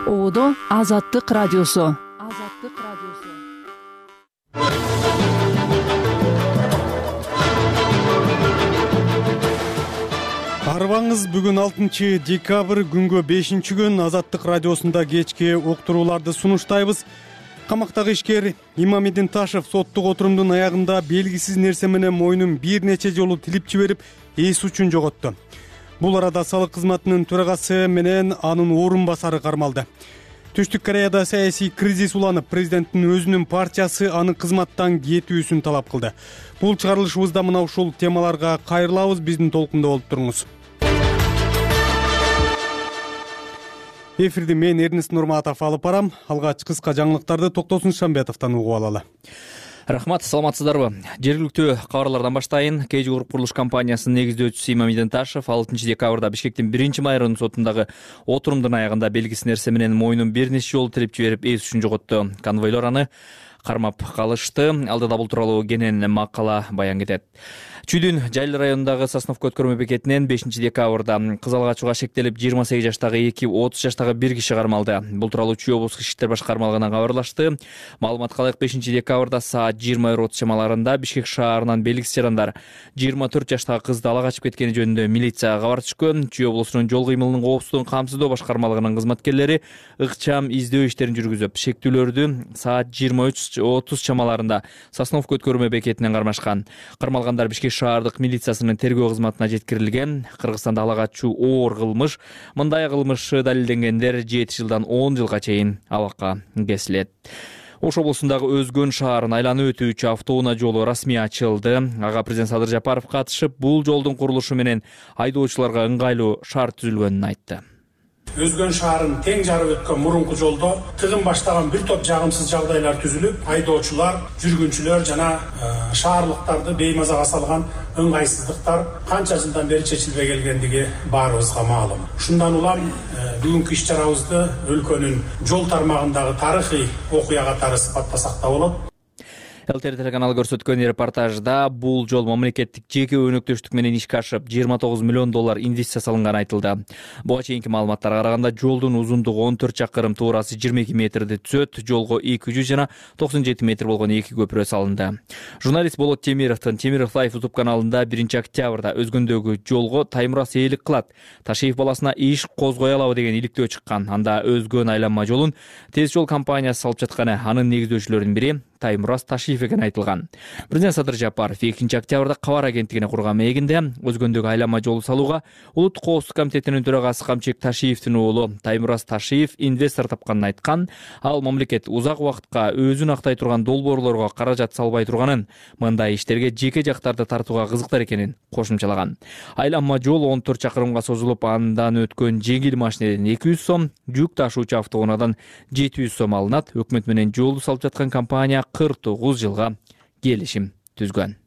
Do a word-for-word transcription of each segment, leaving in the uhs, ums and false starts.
Оодо Азаттык радиосу. Азаттык радиосу. Арбаңыз, бүгүн алтынчы декабрь, күнгө бешинчи күн. Азаттык радиосунда кечки уктурууларды сунуштайбыз. Камактагы ишкер Имамидин Ташев соттук отурумдун аягында белгисиз нерсе менен мойнун бир нече жолу тилип жиберип, эс учун жоготту. Бул арада салык кызматынын төрагасы менен анын орун басары кармалды. Түштүк Кореяда саясий кризис уланып, президенттин өзүнүн партиясы анын кызматтан кетүүсүн талап кылды. Бул чыгарылышыбызда мына ушул темаларга кайрылабыз. Биздин толкунда болуп туруңуз. Эфирди мен Эрнест Нурматов алып барам. Алгач кыска жаңылыктарды Токтосун Шамбетовдон угуп алалы. Рахмат, саламатсыздарбы? Жергиликтүү кабарлардан баштайын. кей жи Груп курулуш компаниясынын негиздөөчүсү Имамидин Ташев алтынчы декабрда Бишкектин биринчи майрынын сотундагы отурумдун аягында белгисиз нерсе менен мойнун бир нече жолу тилип жиберип, эс учун жоготту. Конвойлор аны кармап калышты. Алдыда бул тууралуу кенен макала баян кетет. Чүйдүн Жайлы районундагы Сосновка өткөрмө бекетинен бешинчи декабрда кыз алгачууга шектелип жыйырма сегиз жаштагы эки, отуз жаштагы бир киши кармалды. Бул тууралуу Чүй облустук иштер башкармалыгынан кабарлашты. Маалыматка ылайык, бешинчи декабрда саат жыйырма бир отуз чамаларында Бишкек шаарынан белгисиз жарандар жыйырма төрт жаштагы кызды ала качып кеткени жөнүндө милицияга кабар түшкөн. Чүй облусунун жол кыймылынын коопсуздугун камсыздоо башкармалыгынын кызматкерлери ыкчам издөө иштерин жүргүзүп, шектүүлөрдү саат жыйырма үч отуз чамаларында Сосновка өткөрмө бекетинен кармашкан. Кармалгандар Бишкек шаардык милициясынын тергөө кызматына жеткирилген. Кыргызстанда ала качуу оор кылмыш. Мындай кылмышы далилденгендер жети жылдан он жылга чейин абакка кесилет. Ош облусундагы Өзгөн шаарын айланып өтүүчү автоунаа жолу расмий ачылды. Ага президент Садыр Жапаров катышып, бул жолдун курулушу менен айдоочуларга ыңгайлуу шарт түзүлгөнүн айтты. Өзгөн шаарын тең жарып өткөн мурунку жолдо тыгын баштаган бир топ жагымсыз жагдайлар түзүлүп, айдоочулар, жүргүнчүлөр жана шаарлыктарды беймазага салган ыңгайсыздыктар канча жылдан бери чечилбей келгендиги баарыбызга маалым. Ушундан улам бүгүнкү иш чарабызды өлкөнүн жол тармагындагы тарыхый окуя катары сыпаттасак да болот. ЛТР телеканалы көрсөткөн репортажда бул жол мамлекеттик жеке өнөктөштүк менен ишке ашып, жыйырма тогуз миллион доллар инвестиция салынганы айтылды. Буга чейинки маалыматтарга караганда жолдун узундугу он төрт чакырым, туурасы жыйырма эки метрди түзөт. Жолго эки жүз жана токсон жети метр болгон эки көпүрө салынды. Журналист Болот Темировдун Темиров Лайф YouTube каналында биринчи октябрда Өзгөндөгү жолго Таймурас ээлик кылат, Ташиев баласына иш козгой алабы деген иликтөө чыккан. Анда Өзгөн айланма жолун Тез жол компаниясы салып жатканы, анын негиздөөчүлөрүнүн бири Таймурас Ташиев экени айтылган. Президент Садыр Жапаров экинчи октябрда кабар агенттигине курган мегинде Өзгөндөгү айланма жолу салууга Улуттук коопсуздук комитетинин төрагасы Камчек Ташиевдин уулу Таймурас Ташиев инвестор тапканын айткан. Ал мамлекет узак убакытка өзүн актай турган долбоорлорго каражат салбай турганын, мындай иштерге жеке жактарды тартууга кызыктар экенин кошумчалаган. Айланма жол он төрт чакырымга созулуп, андан өткөн жеңил машинеден эки жүз сом, жүк ташуучу автоунаадан жети жүз сом алынат. Өкмөт менен жолду салып жаткан компания кырк тогуз жылга келишим түзгөн.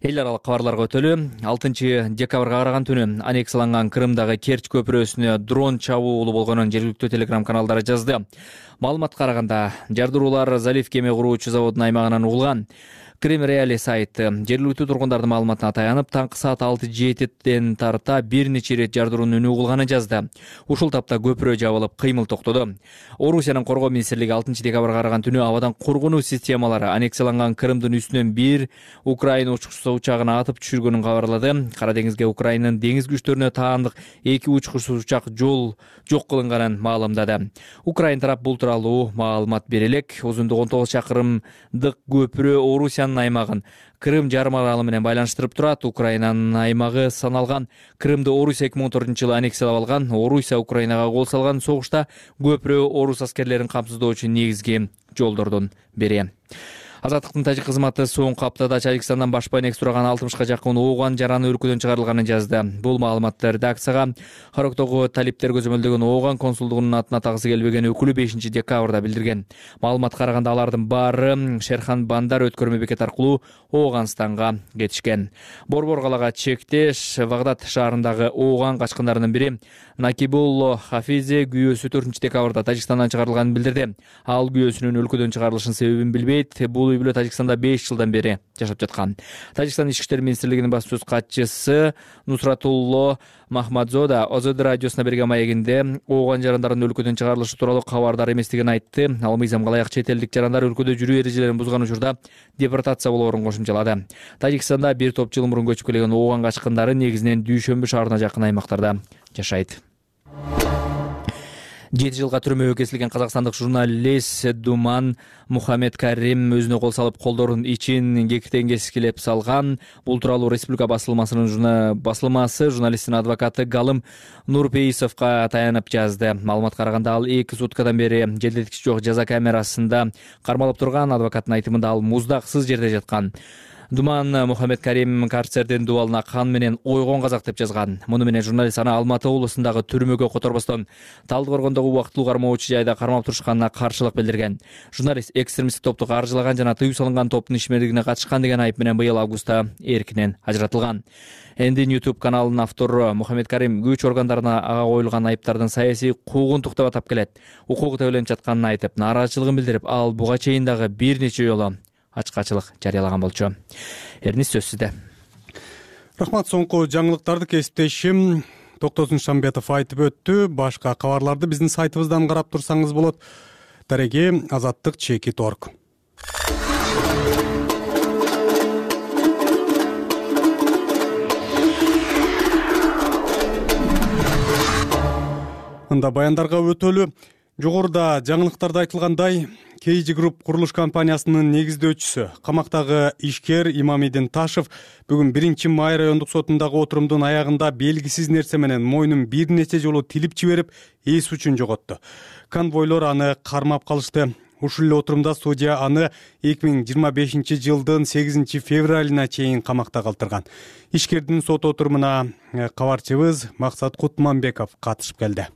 Эл аралык кабарларга өтөлү. алтынчы декабрга караган түнү аннексияланган Крымдагы Керчь көпүрөсүнө дрон чабуулу болгонун жергиликтүү телеграм каналдары жазды. Маалыматка караганда, жардыруулар залив кеме куруучу заводунун аймагынан угулган. Крым Реали сайты жергиликтүү тургундардын маалыматына таянып, таңкы саат алты жетиден тарта бир нече ирет жардыруунун үнү угулганын жазды. Ушул тапта көпүрө жабылып, кыймыл токтоду. Орусиянын коргоо министрлиги алтынчы декабрга караган түнү абадан коргонуу системалары аннексияланган Крымдын үстүнөн бир Украина учкучусу учагын атып түшүргөнүн кабарлады. Кара деңизге Украинанын деңиз күчтөрүнө таандык эки учкучсуз учак жол жок кылынганын маалымдады. Украина тарап бул тууралуу маалымат бере элек. Узундугу он тогуз чакырымдык көпүрө Орусиянын аймагын Крым жарым аралы менен байланыштырып турат. Украинанын аймагы саналган. Крымды Орусия эки миң он төртүнчү жылы аннексиялап алган. Орусия Украинага кол салган согушта көпүрө орус аскерлерин камсыздоочу негизги жолдордун бири. Азаттыктын тажик кызматы соңку аптада Тажикстандан баш байнекс турган алтымышка жакын ооган жараны өлкөдөн чыгарылганын жазды. Бул маалыматты редакцияга Хароктогу талиптер көзөмөлдөгөн ооган консулдугунун атына тагысы келбеген өкүлү бешинчи декабрда билдирген. Маалыматка караганда алардын баары Шерхан Бандар өткөрмө бекет аркылуу Ооганстанга кетишкен. Борбор калага чектеш Вагдат шаарындагы ооган качкындарынын бири Накибулло Хафизе күйөөсү төртүнчү декабрда Тажикстандан чыгарылганын билдирди. Ал күйөөсүнүн өлкөдөн чыгарылышынын себебин билбейт. Бул үй бүлө Тажикстанда беш жылдан бери жашап жаткан. Тажикстан Ички иштер министрлигинин баш сөз катчысы Нусратулло Махмадзода ОЗД радиосуна берген маегинде ооган жарандардын өлкөдөн чыгарылышы тууралуу кабардар эместигин айтты. Ал мыйзамга ылайык чет элдик жарандар өлкөдө жүрүү эрежелерин бузган учурда депортация болоорун кошумчалады. Тажикстанда бир топ жыл мурун көчүп келген ооган качкындары негизинен Дүйшөмбү шаарына жакын аймактарда жашайт. жети жылга түрмөгө кесилген казакстандык журналист Думан Мухаммед Карим өзүнө кол салып колдорун ичин кектен кескилеп салган. Бул тууралуу Республика басылмасынын басылмасы журналисттин адвокаты Галым Нурпейисовго таянып жазды. Маалыматка караганда ал эки суткадан бери желдеткич жок жаза камерасында кармалып турган. Адвокаттын айтымында ал муздаксыз жерде жаткан. Думан Мухаммед Карим карцердин дубалына кан менен ойгон казак деп жазган. Муну менен журналист аны Алматы облусундагы түрмөгө которбостон Талдыкоргондогу убактылуу кармоочу жайда кармап турушканына каршылык билдирген. Журналист экстремисттик топту каржылаган жана тыюу салынган топтун ишмердигине катышкан деген айып менен быйыл августта эркинен ажыратылган. Эндин YouTube каналынын автору Мухаммед Карим күч органдарына ага коюлган айыптардын саясий куугунтук деп атап келет. Укугу тебеленип жатканын айтып, нааразычылыгын билдирип, ал буга чейин дагы бир нече жолу ачкачылык жарыялаган болчу. Эрнис сөз сизде. Рахмат. Соңку жаңылыктарды кесиптешим Токтосун Шамбетов айтып өттү. Башка кабарларды биздин сайтыбыздан карап турсаңыз болот. Дареги азаттык чекит орг. Анда баяндарга өтөлү. Жогоруда жаңылыктарда айтылгандай, кей джи Group курулуш компаниясынын негиздөөчүсү, камактагы ишкер Имамидин Ташев бүгүн биринчи май райондук сотундагы отурумдун аягында белгисиз нерсе менен мойнун бир нече жолу тилип жиберип, эс үчүн жоготту. Конвойлор аны кармап калышты. Ушул эле отурумда судья аны эки миң жыйырма бешинчи жылдын сегизинчи февралына чейин камакта калтырган. Ишкердин сот отурумуна кабарчыбыз Максат Кутманбеков катышып келди.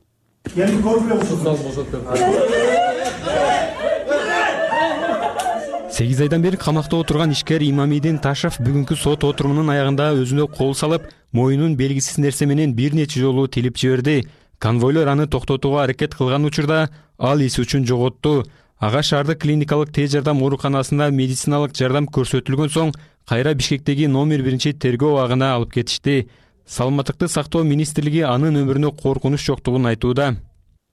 сегиз айдан бери камакта отурган ишкер Имамидин Ташев бүгүнкү сот отурумунун аягында өзүнө кол салып, моюнун белгисиз нерсе менен бир нече жолу тилип жиберди. Конвойлор аны токтотууга аракет кылган учурда ал эс үчүн жоготту. Ага шаардык клиникалык тез жардам ооруканасында медициналык жардам көрсөтүлгөн соң кайра Бишкектеги номер биринчи тергөө абагына алып кетишти. Саламаттыкты сактоо министрлиги анын өмүрүнө коркунуч жоктугун айтууда.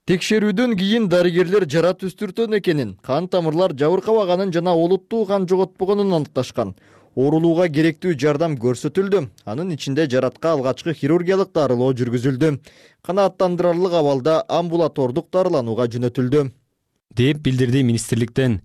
Текшерүүдөн кийин дарыгерлер жара түстүртөн экенин, кан тамырлар жабыркабаганын жана олуттуу кан жоготпогонун аныкташкан. Оорулууга керектүү жардам көрсөтүлдү. Анын ичинде жаратка алгачкы хирургиялык дарылоо жүргүзүлдү. Канааттандырарлык абалда амбулатордук дарыланууга жөнөтүлдү, деп билдирди министрликтен.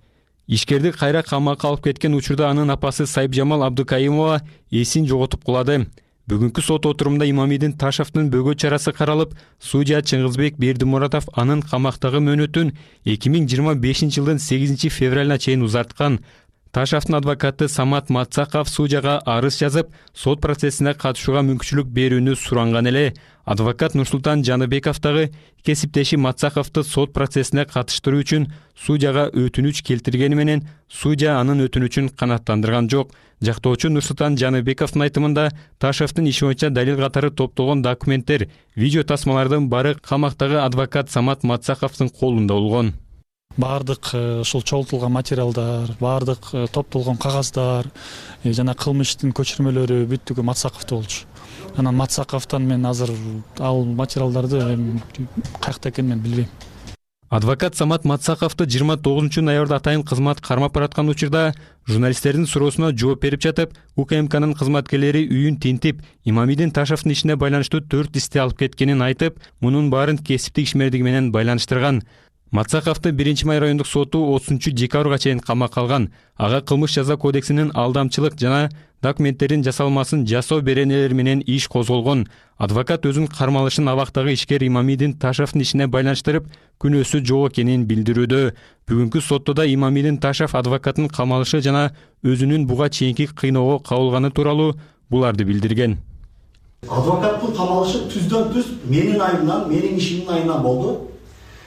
Ишкерди кайра камакка алып кеткен учурда анын апасы Сайыпжамал Абдыкайымова эсин жоготуп кулады. Бүгүнкү сот отурумда Имамидин Ташевдин бөгөт чарасы каралып, судья Чыңгызбек Бердимуратов анын камактагы мөөнөтүн эки миң жыйырма бешинчи жылдын сегизинчи февралына чейин узарткан. Ташевдин адвокаты Самат Мацаков судьяга арыз жазып, сот процессине катышууга мүмкүнчүлүк берүүнү суранган эле. Адвокат Нурсултан Жаныбеков дагы кесиптеши Мацаковду сот процессине катыштыруу үчүн судьяга өтүнүч келтиргени менен, судья анын өтүнүчүн канааттандырган жок. Жактоочу Нурсултан Жаныбековдун айтымында Ташевдин иши боюнча далил катары топтолгон документтер, видео тасмалардын баары камактагы адвокат Самат Мацаковдун колунда болгон. Бардык ушул чогултулган материалдар, бардык топтолгон кагаздар жана кылмыштын көчүрмөлөрү бүттүгү Мацаковдо болчу. Анан Мацаковдон мен азыр ал материалдарды каякта экенин мен билбейм. Адвокат Самат Мацаковду жыйырма тогузунчу ноябрда атайын кызмат кармап бараткан учурда журналисттердин суроосуна жооп берип жатып, У К М Кнын кызматкерлери үйүн тинтип, Имамидин Ташевдин ишине байланыштуу төрт исти алып кеткенин айтып, мунун баарын кесиптик ишмердиги менен байланыштырган. Мацаковду биринчи май райондук соту отузунчу декабрга чейин камакка алган. Ага кылмыш жаза кодексинин алдамчылык жана документтердин жасалмасын жасоо беренелери менен иш козголгон. Адвокат өзүнүн кармалышын абактагы ишкер Имамидин Ташевдин ишине байланыштырып, күнөөсү жок экенин билдирүүдө. Бүгүнкү сотто да Имамидин Ташев адвокаттын камалышы жана өзүнүн буга чейинки кыйноого кабылганы тууралуу буларды билдирген. Адвокаттын камалышы түздөн түз менин айымдан, менин ишимдин айынан болду.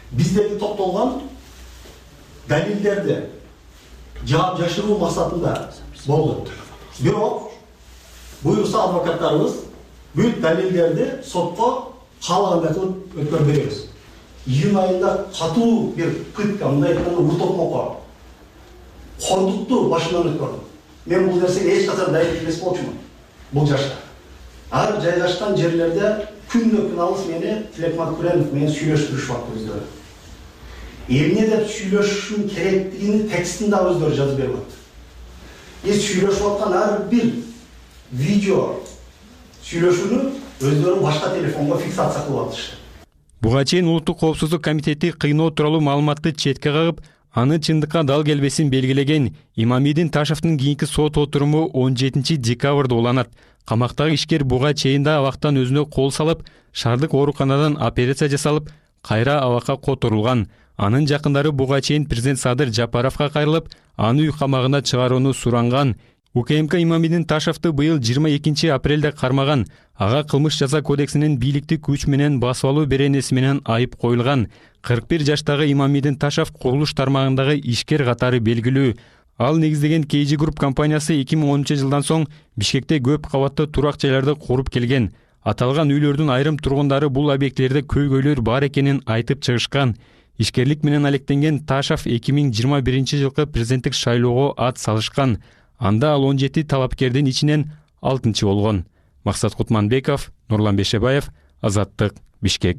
Биздеги топтолгон далилдерди жаап жашыруу максатында болду. Бирок буюрса адвокаттарыбыз бүт далилдерди сотко каалагандай кылып өткөрүп беребиз. Июнь айында катуу бир пытка, мындай айтканда уртокмокко Кондукту башынан өткөрдүм. Мен бул нерсеге эч качан дайын эмес болчумун. Бул жашта. Ар жайгашкан жерлерде күннө күн алыс мени Тилек Макбуренов менен сүйлөштүрүшүп атты өздөрү. Эмне деп сүйлөшүшүм керектигини текстин да өздөрү жазып берип атты. Эс сүйлөшүп аткан ар бир видео сүйлөшүүнү өздөрү башка телефонго фиксация кылып атышты. Буга чейин Улуттук коопсуздук комитети кыйноо тууралуу маалыматты четке кагып, аны чындыкка дал келбесин белгилеген Имамидин Ташевдин кийинки сот отуруму он жетинчи декабрда уланат. Камактагы ишкер буга чейин да абактан өзүнө кол салып, шаардык ооруканадан операция жасалып, кайра абакка которулган. Анын жакындары буга чейин президент Садыр Жапаровго кайрылып, аны үй камагына чыгарууну суранган. УКМК Имамидин Ташевди быйыл жыйырма экинчи апрелде кармаган. Ага кылмыш жаза кодексинин бийликти күч менен басып алуу беренеси менен айып коюлган. кырк бир жаштагы Имамидин Ташев курулуш тармагындагы ишкер катары белгилүү. Ал негиздеген кей джи Group компаниясы эки миң онунчу жылдан соң Бишкекте көп кабаттуу турак жайларды куруп келген. Аталган үйлөрдүн айрым тургундары бул объектилерде көйгөйлөр бар экенин айтып чыгышкан. Ишкерлик менен алектенген Ташев эки миң жыйырма биринчи жылкы президенттик шайлоого ат салышкан. Анда ал он жети талапкердин ичинен алтынчы болгон. Максат Кутманбеков, Нурлан Бешебаев, Азаттык, Бишкек.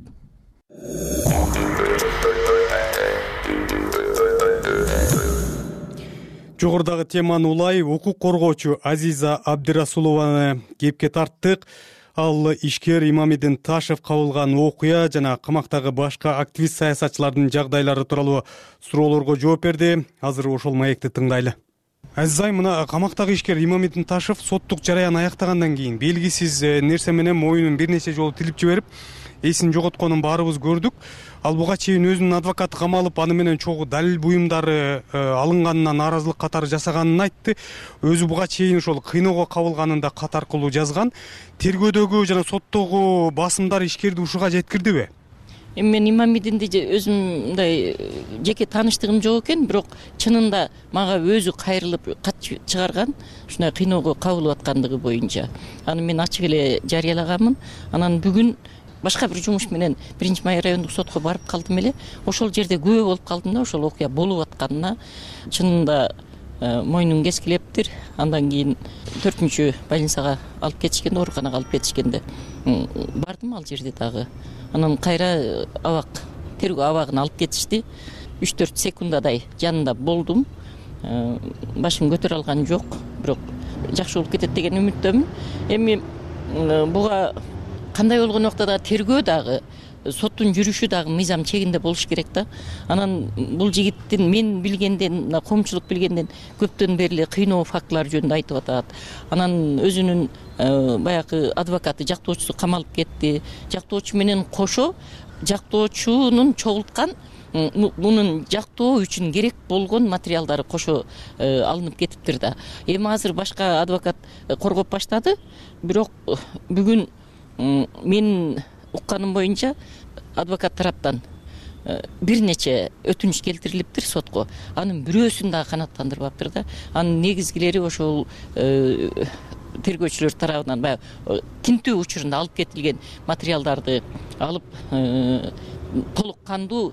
Жогорудагы теманы улай укук коргоочу Азиза Абдирасулованы кепке тарттык. Ал ишкер Имамидин Ташев кабылган окуя жана камактагы башка активист саясатчылардын жагдайлары тууралуу суроолорго жооп берди. Азыр ошол маекти тыңдайлы. Азизай, мына камактагы ишкер Имамидин Ташев соттук жараян аяктагандан кийин белгисиз нерсе менен моюнун бир нече жолу тилип жиберип, эсин жоготконун баарыбыз көрдүк. Ал буга чейин өзүнүн адвокаты камалып, аны менен чогуу далил буюмдары алынганына нааразылык катары жасаганын айтты. Өзү буга чейин ошол кыйноого кабылганын да кат аркылуу жазган. Тергөөдөгү жана соттогу басымдар ишкерди ушуга жеткирдиби? Эми мен Имамидинди өзүм мындай жеке тааныштыгым жок экен, бирок чынында мага өзү кайрылып кат чыгарган, ушундай кыйноого кабылып аткандыгы боюнча. Аны мен ачык эле жарыялаганмын. Анан бүгүн башка бир жумуш менен биринчи май райондук сотко барып калдым эле. Ошол жерде күбө болуп калдым да, ошол окуя болуп атканына чынында мойнун кескилептир. Андан кийин төртүнчү больницага алып кетишкенде, ооруканага алып кетишкенде бардым ал жерде дагы. Анан кайра абак, тергөө абагын алып кетишти. үч төрт секундадай жанында болдум. Башым көтөрө алган жок, бирок жакшы болуп кетет деген үмүттөмүн. Эми буга кандай болгон убакта да тергөө дагы, соттун жүрүшү дагы мыйзам чегинде болуш керек да. Анан бул жигиттин мен билгенден, коомчулук билгенден көптөн бери кыйноо фактылары жөнүндө айтып атат. Анан өзүнүн баягы адвокаты, жактоочусу камалып кетти. Жактоочу менен кошо жактоочунун чогулткан мунун жактоо үчүн керек болгон материалдары кошо алынып кетиптир да. Эми азыр башка адвокат коргоп баштады, бирок бүгүн мен укканым боюнча адвокат тараптан бир нече өтүнүч келтирилиптир сотко. Анын бирөөсүн дагы канааттандырбаптыр да. Анын негизгилери ошол тергөөчүлөр тарабынан баягы тинтүү учурунда алып кетилген материалдарды алып толук кандуу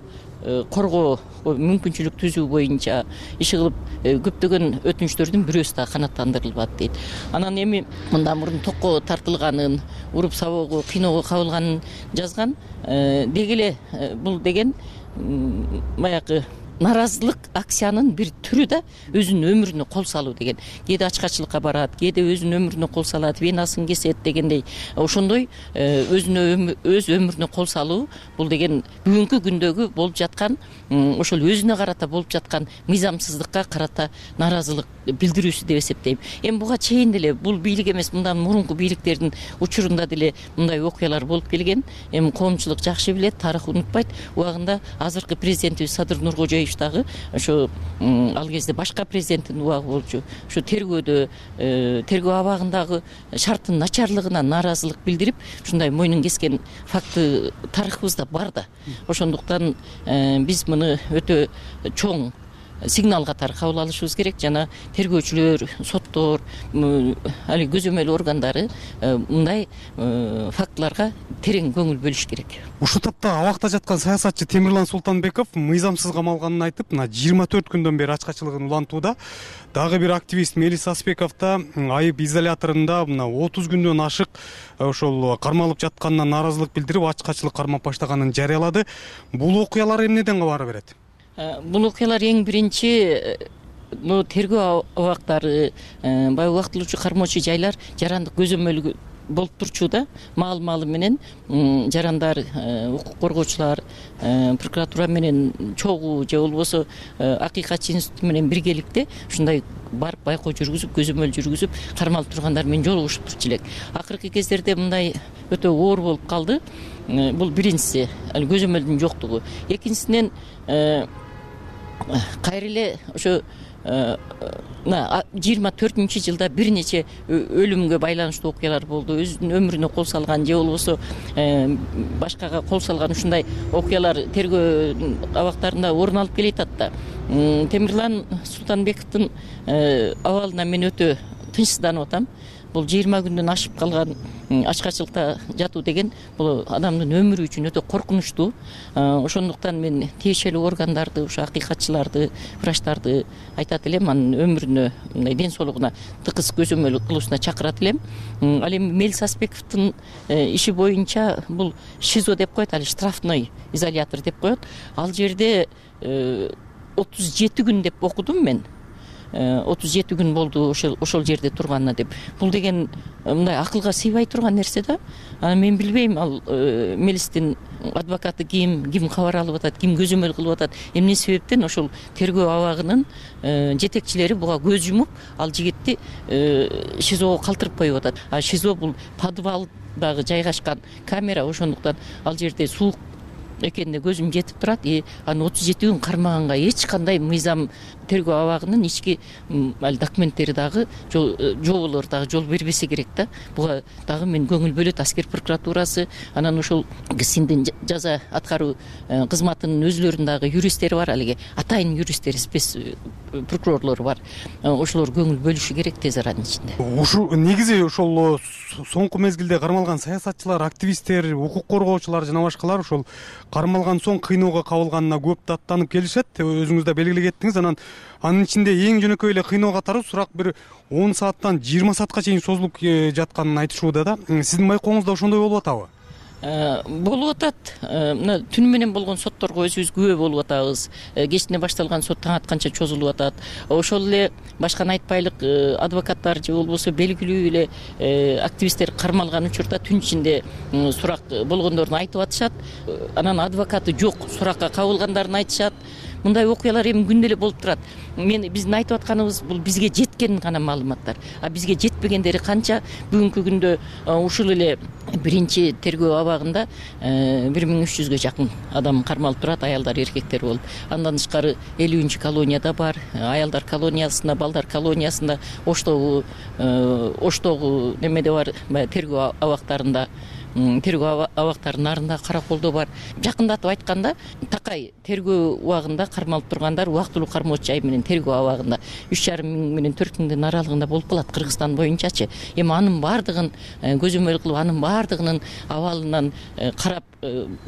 коргоо мүмкүнчүлүк түзүү боюнча иш кылып көптөгөн өтүнүчтөрдүн бирөөсү да канааттандырылбат дейт. Анан эми мындан мурун токко тартылганын, уруп сабоого, кыйноого кабылганын жазган. Деги эле бул деген баягы наразылык акциянын бир түрү да, өзүнүн өмүрүнө кол салуу деген. Кээде ачкачылыкка барат, кээде өзүнүн өмүрүнө кол салат, венасын кесет дегендей. Ошондой өзүнө өз өмүрүнө кол салуу бул деген бүгүнкү күндөгү болуп жаткан, ошол өзүнө карата болуп жаткан мыйзамсыздыкка карата наразылык билдирүүсү деп эсептейм. Эми буга чейин деле бул бийлик эмес, мындан мурунку бийликтердин учурунда деле мындай окуялар болуп келген. Эми коомчулук жакшы билет, тарых унутпайт. Убагында азыркы президентибиз Садыр Нуркожоевич дагы ошо ал кезде башка президенттин убагы болчу. Ошо тергөөдө, тергөө абагындагы шарттын начарлыгына нааразылык билдирип, ушундай мойнун кескен факты тарыхыбызда бар да. Ошондуктан биз муну өтө чоң сигнал катары кабыл алышыбыз керек. Жана тергөөчүлөр, соттор, али көзөмөл органдары мындай фактыларга терең көңүл бөлүш керек. Ушул тапта абакта жаткан саясатчы Темирлан Султанбеков мыйзамсыз камалганын айтып, мына жыйырма төрт күндөн бери ачкачылыгын улантууда. Дагы бир активист Мелис Аспеков да айып изоляторунда мына отуз күндөн ашык ошол кармалып жатканына нааразылык билдирип, ачкачылык кармап баштаганын жарыялады. Бул окуялар эмнеден кабар берет? Бул окуялар эң биринчи тергөө абактары, баягы убактылуучу кармоочу жайлар жарандык көзөмөл болуп турчу да, маал-маалы менен жарандар, укук коргоочулар, прокуратура менен чогуу же болбосо акыйкатчы институт менен биргеликте ушундай барып байкоо жүргүзүп, көзөмөл жүргүзүп, кармалып тургандар менен жолугушуп турчу элек. Акыркы кездерде мындай өтө оор болуп калды. Бул биринчиси, көзөмөлдүн жоктугу. Экинчисинен кайра эле ошо жыйырма төртүнчү жылда бир нече өлүмгө байланыштуу окуялар болду. Өзүнүн өмүрүнө кол салган же болбосо башкага кол салган ушундай окуялар тергөө абактарында орун алып келатат да. Темирлан Султанбековдун абалына мен өтө тынчсызданып атам. Бул жыйырма күндөн ашып калган ачкачылыкта жатуу деген бул адамдын өмүрү үчүн өтө коркунучтуу. Ошондуктан мен тиешелүү органдарды, ошо акыйкатчыларды, врачтарды айтат элем, анын өмүрүнө, мындай ден соолугуна тыкыз көзөмөл кылуусуна чакырат элем. Ал эми Мелис Аспековдун иши боюнча бул ШИЗО деп коет, али штрафной изолятор деп коет. Ал жерде отуз жети күн деп окудум мен. отуз жети күн болду ошол ошол жерде турганына деп. Бул деген мындай акылга сыйбай турган нерсе да. Аны мен билбейм, ал Мелистин адвокаты ким, ким кабар алып атат, ким көзөмөл кылып атат, эмне себептен ошол тергөө абагынын жетекчилери буга көз жумуп, ал жигитти ШИЗОго калтырып коюп атат. А ШИЗО бул подвалдагы жайгашкан камера, ошондуктан ал жерде суук экенине көзүм жетип турат. И аны отуз жети күн кармаганга эч кандай мыйзам тергөө абагынын ички документтери дагы, жоболор дагы жол бербесе керек да. Буга дагы мен көңүл бөлөт аскер прокуратурасы, анан ошол КСИНдин жаза аткаруу кызматынын өзүлөрүнүн дагы юристтери бар, алиги атайын юристтери, спец прокурорлору бар. Ошолор көңүл бөлүшү керек тез аранын ичинде. Ушул негизи ошол соңку мезгилде кармалган саясатчылар, активисттер, укук коргоочулар жана башкалар ошол кармалган соң кыйноого кабылганына көп даттанып келишет. Өзүңүз да белгилеп кеттиңиз. Анан анын ичинде эң жөнөкөй эле кыйноо катары сурак бир он сааттан жыйырма саатка чейин созулуп жатканын айтышууда да. Сиздин байкооңузда ошондой болуп атабы? Болуп атат. Мына түнү менен болгон сотторго өзүбүз күбө болуп атабыз. Кечине башталган сот таң атканча чозулуп атат. Ошол эле башканы айтпайлык адвокаттар же болбосо белгилүү эле активисттер кармалган учурда түн ичинде сурак болгондорун айтып атышат. Анан адвокаты жок, суракка кабылгандарын айтышат. Мындай окуялар эми күндө эле болуп турат. Мен биздин айтып атканыбыз бул бизге жеткен гана маалыматтар. А бизге жетпегендери канча? Бүгүнкү күндө ушул эле биринчи тергөө абагында бир миң үч жүзгө жакын адам кармалып турат, аялдар, эркектер болуп. Андан тышкары элүүнчү колонияда бар, аялдар колониясында, балдар колониясында, Оштогу, Оштогу немеде бар, тергөө абактарында, тергөө абактарынын нарында, Караколдо бар. Жакындатып айтканда, Такай тергөө убагында кармалып тургандар убактылуу кармоочу жай менен тергөө абагында үч жарым миң менен төрт миңдин аралыгында болуп калат Кыргызстан боюнчачы. Эми анын баардыгын көзөмөл кылып, анын баардыгынын абалынан карап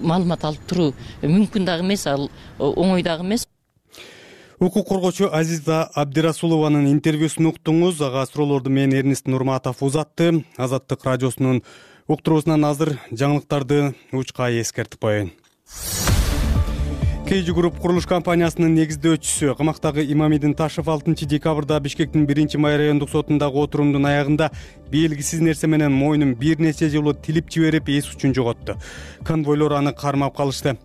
маалымат алып туруу мүмкүн дагы эмес, ал оңой дагы эмес. Укук коргоочу Азиза Абдирасулованын интервьюсун уктуңуз. Ага суроолорду мен Эрнест Нурматов узатты. Азаттык радиосунун уктуруусунан азыр жаңылыктарды учкай эскертип коеюн. Кейжи Групп курулуш компаниясынын негиздөөчүсү, камактагы Имамидин Ташев алтынчы декабрда Бишкектин биринчи май райондук сотундагы отурумдун аягында белгисиз нерсе менен мойнун бир нече жолу тилип жиберип эс учун жоготту. Конвойлор аны кармап калышты.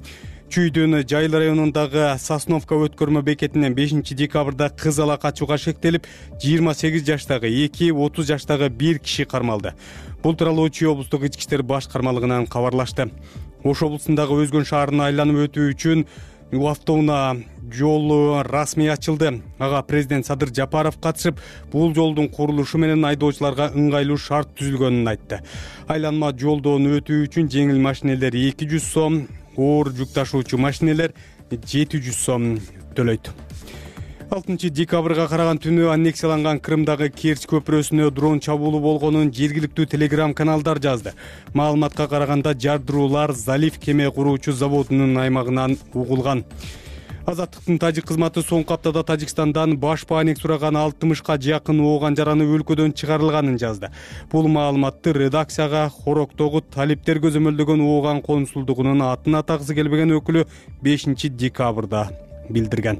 Чүйдүн Жайыл районундагы Сосновка өткөрмө бекетинен бешинчи декабрда кыз ала качууга шектелип, жыйырма сегиз жаштагы эки, отуз жаштагы бир киши кармалды. Бул тууралуу Чүй облустук ички иштер баш кармалыгынан кабарлашты. Ош облусундагы Өзгөн шаарын айланып өтүү үчүн автоунаа жолу расмий ачылды. Ага президент Садыр Жапаров катышып, бул жолдун курулушу менен айдоочуларга ыңгайлуу шарт түзүлгөнүн айтты. Айланма жолдон өтүү үчүн жеңил машинелер эки жүз сом, оор жүк ташуучу машинелер жети жүз сом төлөйт. алтынчы декабрга караган түнү аннексияланган Крымдагы Керчь көпүрөсүнө дрон чабуулу болгонун жергиликтүү телеграм каналдар жазды. Маалыматка караганда жардыруулар Залив кеме куруучу заводунун аймагынан угулган. Азаттыктын тажик кызматы соңку аптада Тажикстандан баш пааник сураган алтымышка жакын ооган жараны өлкөдөн чыгарылганын жазды. Бул маалыматты редакцияга Хороктогу талиптер көзөмөлдөгөн ооган консулдугунун атын атагысы келбеген өкүлү бешинчи декабрда билдирген.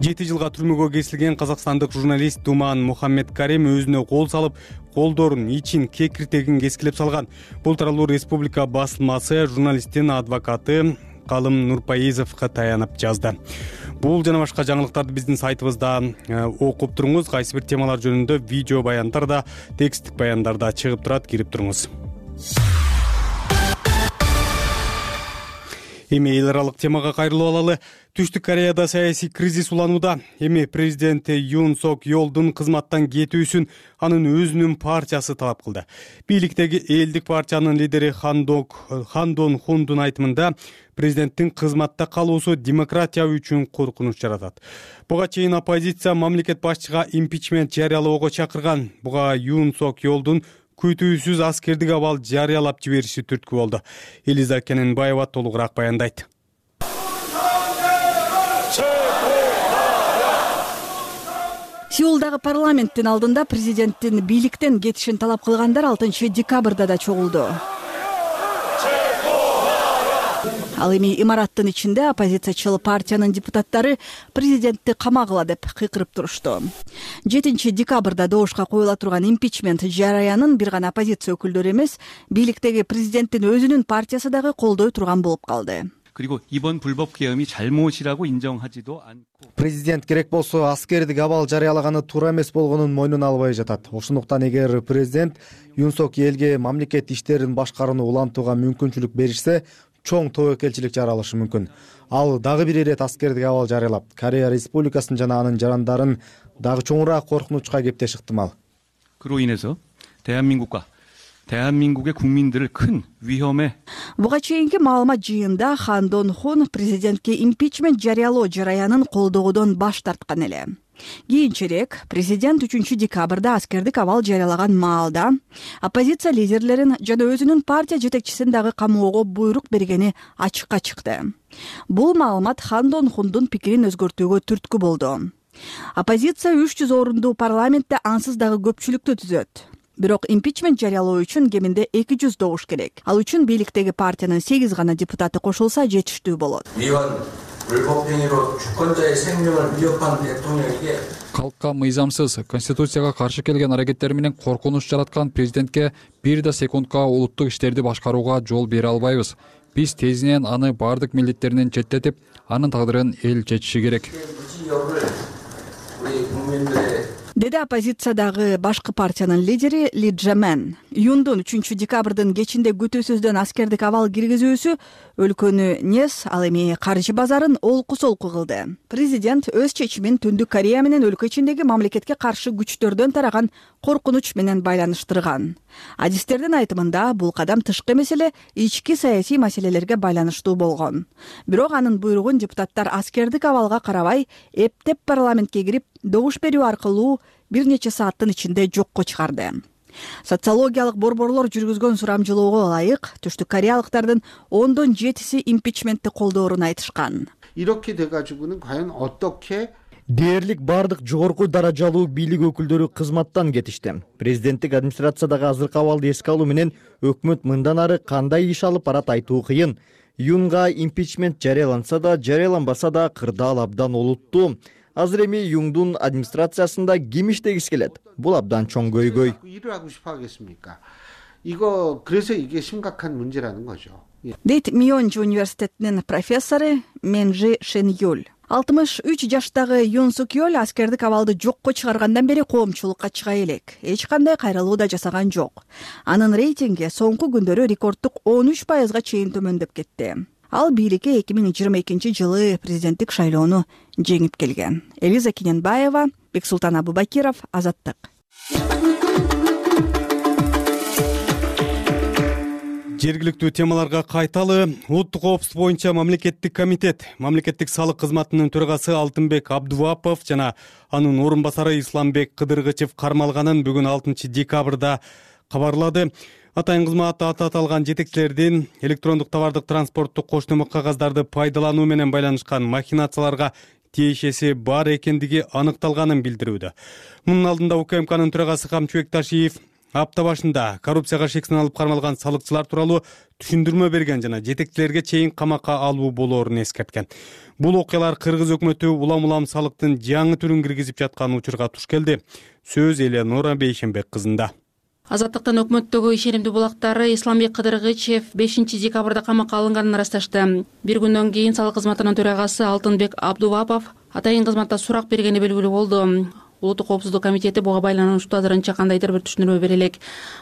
жети жылга түрмөгө кесилген казакстандык журналист Думан Мухаммедкарим өзүнө кол салып, колдорун, ичин, кекиртегин кескилеп салган. Бул тууралуу республика басылмасы журналисттин адвокаты Калым Нурпаизовго таянып жазды. Бул жана башка жаңылыктарды биздин сайтыбызда окуп туруңуз. Кайсы бир темалар жөнүндө видео баяндар да, тексттик баяндар да чыгып турат, кирип туруңуз. Эми эл аралык темага кайрылып алалы. Түштүк Кореяда саясий кризис уланууда. Эми президент Юн Сок Йолдун кызматтан кетүүсүн анын өзүнүн партиясы талап кылды. Бийликтеги элдик партиянын лидери Хандок Хандон Хундун айтымында президенттин кызматта калуусу демократия үчүн коркунуч жаратат. Буга чейин оппозиция мамлекет башчыга импичмент жарыялоого чакырган. Буга Юн Сок Йолдун күтүүсүз аскердик абал жарыялап жибериши түрткү болду. Элиза Кененбаева толугураак баяндайт. Сеулдагы парламенттин алдында президенттин бийликтен кетишин талап кылгандар алтынчы декабрда да чогулду. Ал эми имараттын ичинде оппозициячыл партиянын депутаттары президентти камагыла деп кыйкырып турушту. жетинчи декабрда добушка коюла турган импичмент жараянын бир гана оппозиция өкүлдөрү эмес, бийликтеги президенттин өзүнүн партиясы дагы колдой турган болуп калды. 그리고 이번 불법 계엄이 잘못이라고 인정하지도 않고 президент керек болсо аскердик абал жарыялаганы туура эмес болгонун мойнуна албай жатат. Ошондуктан эгер президент Юн Сок элге мамлекет иштерин башкарууну улантууга мүмкүнчүлүк беришсе, чоң тобокелчилик жаралышы мүмкүн. Ал дагы бир ирет аскердик абал жарыялап, Корея Республикасын жана анын жарандарын дагы чоңураак коркунучка кептеш ыктымал. 그로 인해서 대한민국과 대한민국의 국민들을 큰 위험에 Буга чейинки маалымат жыйында Хандон Хун президентке импичмент жарыялоо жараянын колдоодон баш тарткан эле. Кийинчерээк президент үчүнчү декабрда аскердик абал жарыялаган маалда оппозиция лидерлерин жана өзүнүн партия жетекчисин дагы камоого буйрук бергени ачыкка чыкты. Бул маалымат Хандон Хундун пикирин өзгөртүүгө түрткү болду. Оппозиция үч жүз орундуу парламентте ансыз дагы көпчүлүктү түзөт. Бирок импичмент жарыялоо үчүн кеминде эки жүз добуш керек. Ал үчүн бийликтеги партиянын сегиз гана депутаты кошулса жетиштүү болот. Калкка мыйзамсыз, конституцияга каршы келген аракеттер менен коркунуч жараткан президентке бир да секундка улуттук иштерди башкарууга жол бере албайбыз. Биз тезинен аны бардык милдеттеринен четтетип, анын тагдырын эл чечиши керек. Деди оппозициядагы башкы партиянын лидери Ли Джамен. Юндун үчүнчү декабрдын кечинде күтүүсүздөн аскердик абал киргизүүсү өлкөнү нес, ал эми каржы базарын олку-солку кылды. Президент өз чечимин Түндүк Корея менен өлкө ичиндеги мамлекетке каршы күчтөрдөн тараган коркунуч менен байланыштырган. Адистердин айтымында бул кадам тышкы эмес эле ички саясий маселелерге байланыштуу болгон. Бирок анын буйругун депутаттар аскердик абалга карабай эптеп парламентке кирип добуш берүү аркылуу бир нече сааттын ичинде жокко чыгарды. Социологиялык борборлор жүргүзгөн сурамжылоого ылайык түштүк кореялыктардын ондон жетиси импичментти колдоорун айтышкан. 이렇게 돼가지고는 과연 어떻게 Дээрлик бардык жогорку даражалуу бийлик өкүлдөрү кызматтан кетишти. Президенттик администрациядагы азыркы абалды эске алуу менен өкмөт мындан ары кандай иш алып барат айтуу кыйын. Юнга импичмент жарыяланса да, жарыяланбаса да кырдаал абдан олуттуу. Азыр эми Юндун администрациясында ким иштегиси келет? Бул абдан чоң көйгөй. 일을 하고 싶어 하겠습니까? 이거 그래서 이게 심각한 문제라는 거죠. Дейт Мионжи университетинин профессору Менжи Шенюль. алтымыш үч жаштагы Юн Сук Йоль аскердик абалды жокко чыгаргандан бери коомчулукка чыга элек. Эч кандай кайрылуу да жасаган жок. Анын рейтинги соңку күндөрү рекорддук он үч пайызга чейин төмөндөп кетти. Ал бийликке эки миң жыйырма экинчи жылы президенттик шайлоону жеңип келген. Элиза Кененбаева, Бексултан Абубакиров, Азаттык. Жергиликтүү темаларга кайталы. Улуттук коопсуздук боюнча мамлекеттик комитет, мамлекеттик салык кызматынын төрагасы Алтынбек Абдувапов жана анын орун басары Исламбек Кыдыргычев кармалганын бүгүн алтынчы декабрда кабарлады. Атайын кызмат аты аталган жетекчилердин электрондук товардык транспорттук коштомо кагаздарды пайдалануу менен байланышкан махинацияларга тиешеси бар экендиги аныкталганын билдирүүдө. Мунун алдында УКМКнын төрагасы Камчыбек Ташиев апта башында коррупцияга шексин алып кармалган салыкчылар тууралуу түшүндүрмө берген жана жетекчилерге чейин камакка алуу болоорун эскерткен. Бул окуялар Кыргыз өкмөтү улам-улам салыктын жаңы түрүн киргизип жаткан учурга туш келди. Сөз Эленора Бейшенбек кызында. Азаттыктын өкмөттөгү ишенимдүү булактары Исламбек Кыдыргычев бешинчи декабрда камакка алынганын ырасташты. Бир күндөн кийин салык кызматынын төрагасы Алтынбек Абдувапов атайын кызматта сурак бергени белгилүү болду. Улуттук коопсуздук комитети буга байланыштуу азырынча кандайдыр бир түшүндүрмө бере элек.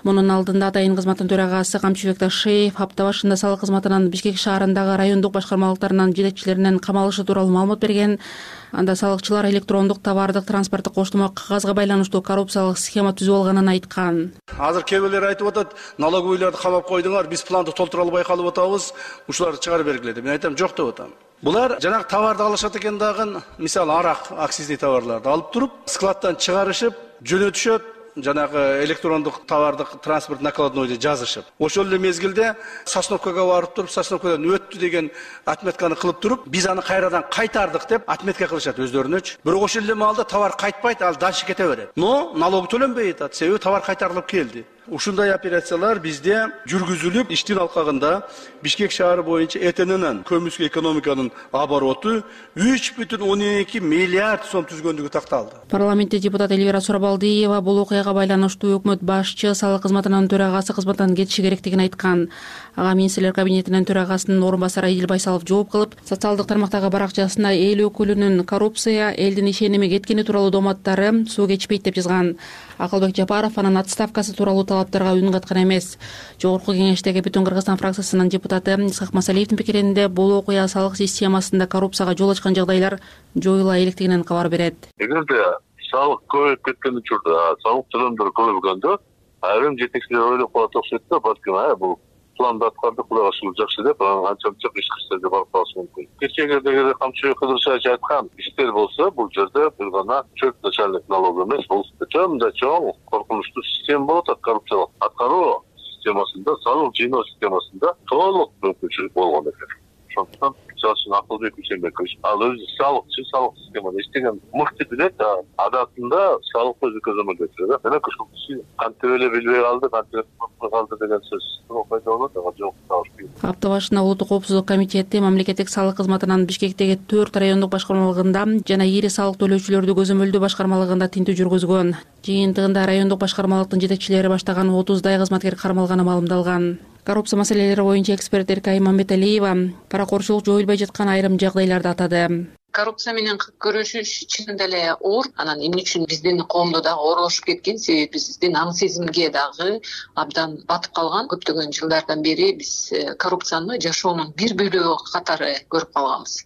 Мунун алдында атайын кызматтын төрагасы Камчыбек Ташиев апта башында салык кызматынын Бишкек шаарындагы райондук башкармалыктарынын жетекчилеринин камалышы тууралуу маалымат берген. Анда салыкчылар электрондук товардык транспорттук коштомо кагазга байланыштуу коррупциялык схема түзүп алганын айткан. Азыр кээ бирлер айтып атат, налоговыйларды камап койдуңар, биз планды толтура албай калып атабыз, ушуларды чыгарып бергиле деп. Мен айтам, жок деп атам. Булар жанагы товарды алышат экен дагы, мисалы арак, акцизный товарларды алып туруп, складтан чыгарышып, жөнөтүшөт, жанагы электрондук товардык транспорт накладнойду жазышып. Ошол эле мезгилде Сосновкага барып туруп, Сосновкадан өттү деген отметканы кылып туруп, биз аны кайрадан кайтардык деп отметка кылышат өздөрүнөчү. Бирок ошол эле маалда товар кайтпайт, ал дальше кете берет. Но налог төлөнбөй атат, себеби товар кайтарылып келди. Ушундай операциялар бизде жүргүзүлүп, иштин алкагында Бишкек шаары боюнча Э Т Н'нин көмүскө экономиканын обороту үч бүтүн он эки миллиард сом түзгөндүгү такталды. Парламентте депутат Эльвира Сурабалдиева бул окуяга байланыштуу өкмөт башчы салык кызматынын төрагасы кызматтан кетиши керектигин айткан. Ага министрлер кабинетинин төрагасынын орун басары Идил Байсалов жооп кылып, социалдык тармактагы баракчасына эл өкүлүнүн коррупция, элдин ишеними кеткени тууралуу доматтары суу кечпейт деп жазган. Акылбек Жапаров анын отставкасы тууралуу талаптарга үн каткан эмес. Жогорку кеңештеги Бүтүн Кыргызстан фракциясынын депутаты Исхак Масалиевдин пикиринде бул окуя салык системасында коррупцияга жол ачкан жагдайлар жоюла электигинен кабар берет. Эгерде салык көбөйүп кеткен учурда, салык төлөмдөр көбөйгөндө, айрым жетекчилер ойлоп калат окшойт да, балким ай бул планды аткарды Кудай ошол жакшы деп, анча-мынча иш кылышты барып калышы мүмкүн. Кечээде Камчыбек Кыдыргычев айткан иштер болсо, бул жерде бир гана чөп начальник налог эмес, бул чоң чоң коркунучтуу система болот, коррупциялык аткаруу системасында, салык жыйноо системасында толук мүмкүнчүлүк болгон экен. Ошондуктан чачын Акылбек Ишенбекович ал өзү салыкчы, салык системада иштеген мыкты билет, адатында салык өзү көзөмөл өтүрөт. Мына ушул киши кантип эле билбей калды, кантип калды деген сөз пайда болот, ага жок табышпайт. Апта башында Улуттук коопсуздук комитети мамлекеттик салык кызматынын Бишкектеги төрт райондук башкармалыгында жана ири салык төлөөчүлөрдү көзөмөлдөө башкармалыгында тинтүү жүргүзгөн. Жыйынтыгында райондук башкармалыктын жетекчилери баштаган отуздай кызматкер кармалганы маалымдалган. Коррупция маселелери боюнча эксперт Эркай Мамбеталиева паракорчулук жоюлбай жаткан айрым жагдайларды атады. Коррупция менен күрөшүш чынында эле оор, анан эмне үчүн биздин коомдо дагы оорлошуп кеткен, себеби биздин аң сезимге дагы абдан батып калган. Көптөгөн жылдардан бери биз коррупцияны жашоонун бир бөлүгү катары көрүп калганбыз.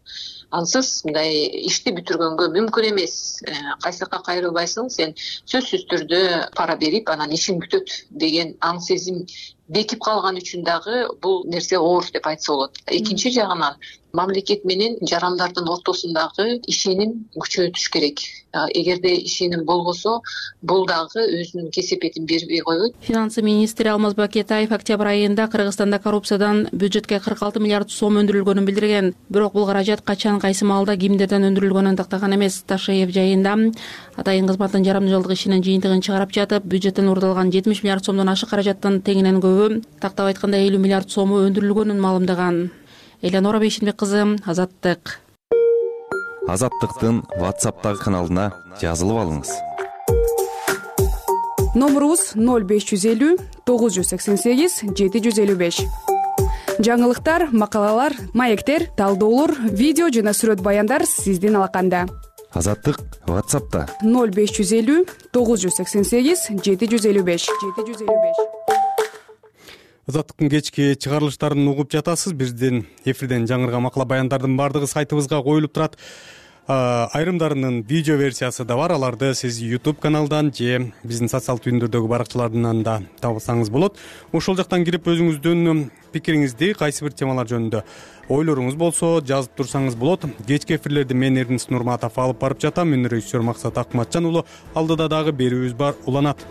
Ансыз мындай ишти бүтүргөнгө мүмкүн эмес. Кайсы жакка кайрылбайсың, сен сөзсүз түрдө пара берип, анан ишиң бүтөт деген аң сезим бекип калган үчүн дагы бул нерсе оор деп айтса болот. Экинчи жагынан мамлекет менен жарандардын ортосундагы ишеним күчөтүш керек. Эгерде ишеним болбосо, бул дагы өзүнүн кесепетин бербей коет. Финансы министри Алмаз Бакетаев октябрь айында Кыргызстанда коррупциядан бюджетке кырк алты миллиард сом өндүрүлгөнүн билдирген. Бирок бул каражат качан, кайсы маалда, кимдерден өндүрүлгөнүн тактаган эмес. Ташиев жайында атайын кызматтын жарымжылдык ишинин жыйынтыгын чыгарып жатып, бюджеттен урдалган жетимиш миллиард сомдон ашык каражаттын теңинен көбү, тактап айтканда элүү миллиард сому өндүрүлгөнүн маалымдаган. Эленора Бейшенбек кызы, Азаттык. Азаттыктын WhatsApp'тагы каналына жазылып алыңыз. Номурубуз ноль беш жүз элүү тогуз жүз сексен сегиз жети жүз элүү беш. Жаңылыктар, макалалар, маектер, талдоолор, видео жана сүрөт баяндар сиздин алаканда. Азаттык WhatsApp'та ноль беш жүз элүү тогуз жүз сексен сегиз жети жүз элүү беш. Азаттыктын кечки чыгарылыштарын угуп жатасыз. Биздин эфирден жаңырган макала баяндардын бардыгы сайтыбызга коюлуп турат. айрымдарынын видео версиясы да бар. Аларды сиз YouTube каналдан же биздин социалдык түйүндөрдөгү баракчалардан да табсаңыз болот. Ошол жактан кирип өзүңүздүн пикириңизди, кайсы бир темалар жөнүндө ойлоруңуз болсо жазып турсаңыз болот. Кечки эфирлерди мен Эрдинис Нурматов алып барып жатам. Мен режиссер Максат Акматжан уулу. Алдыда дагы берүүбүз бар, уланат.